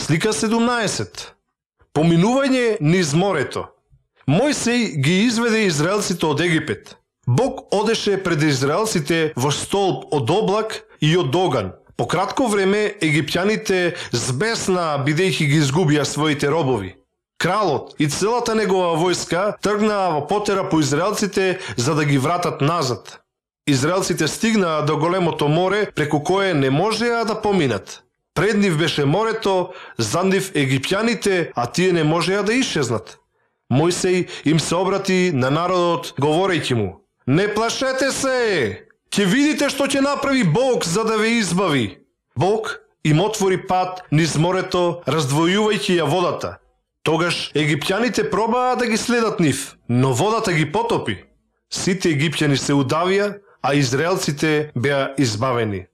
Слика 17. Поминување низ морето. Мојсей ги изведе израелците од Египет. Бог одеше пред израелците во столб од облак и од оган. По кратко време египтјаните збесна бидејќи ги изгубија своите робови. Кралот и целата негова војска тргнаа во потера по израелците за да ги вратат назад. Израелците стигнаа до големото море преку кое не можеа да поминат. Пред нив беше морето, за нив египтјаните, а тие не можеа да исчезнат. Мојсей им се обрати на народот говорејќи му: не плашете се! Ќе видите што ќе направи Бог за да ве избави. Бог им отвори пат низ морето, раздвојувајќи ја водата. Тогаш египтјаните пробаа да ги следат нив, но водата ги потопи. Сите египтјани се удавија, а израелците беа избавени.